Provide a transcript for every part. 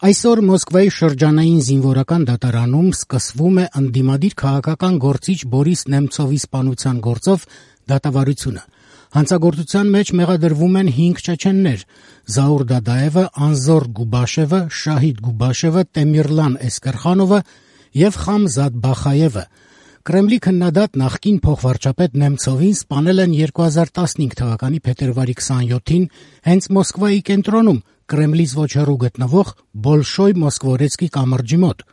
Այսօր Մոսկվայի շրջանային զինվորական դատարանում սկսվում է ընդդիմադիր քաղաքական գործիչ Բորիս Նեմցովի սպանության գործով դատավարությունը։ Հանցագործության մեջ մեղադրվում են 5 չեչեններ՝ Զաուր Դադաևը, Անզոր Գուբաշևը, Շահիդ Գուբաշևը, Տեմիրլան Էսկերխանովը եւ Խամզադ Բախայևը։ Կրեմլի քննադատ նախկին փոխվարչապետ Նեմցովին սպանել են 2015 թվականի փետրվարի 27-ին հենց Մոսկվայի կենտրոնում Կրեմլից ոչ հեռու գտնվող Բոլշոյ Մոսկվորեցկի կամրջի մոտ։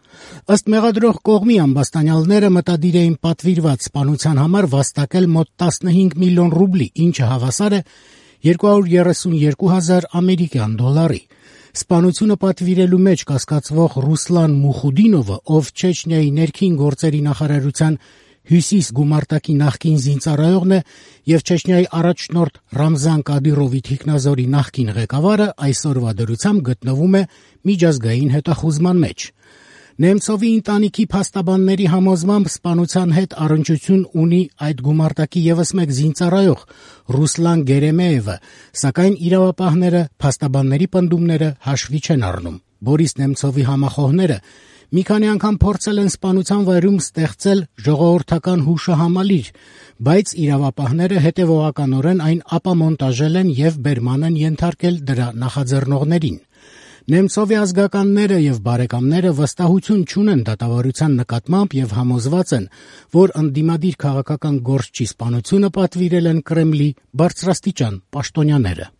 Ըստ մեղադրող կողմի ամբաստանյալները մտադիր էին պատվիրված սպանության համար վաստակել մոտ 15 միլիոն ռուբլի, ինչը հավասար է 232,000 ամերիկյան դոլարի։ Սպանությունը պատվիրելու մեջ կասկածվող Ռուսլան Մուխուդինովը, ով Չեչնիայի ներքին գործերի նախարարության Հյուսիս գումարտակի նախկին զինծառայողն է եւ Չեչնիայի առաջնորդ Ռամզան Կադիրովի թիկնազորի նախկին ղեկավարը, այսօրվա դրությամբ գտնվում է միջազգային հետախուզման մեջ։ Նեմցովի ընտանիքի փաստաբանների համոզմամբ սպանության հետ առնչություն ունի այդ գումարտակի եւս մեկ զինծառայող Ռուսլան Գերեմեևը, սակայն իրավապահները փաստաբանների պնդումները հաշվի չեն առնում։ Բորիս Նեմցովի համախոհները մի քանի անգամ փորձել են սպանության վայրում ստեղծել ժողովրդական հուշահամալիր, բայց իրավապահները հետևողականորեն այն ապամոնտաժել են եւ բերման են ենթարկել դրա նախաձեռնողներին։ Նեմցովի ազգականները եւ բարեկամները վստահություն չունեն դատավարության նկատմամբ եւ համոզված են, որ ընդդիմադիր քաղաքական գործչի սպանությունը պատվիրել են Կրեմլի բարձրաստիճան պաշտոնյաները։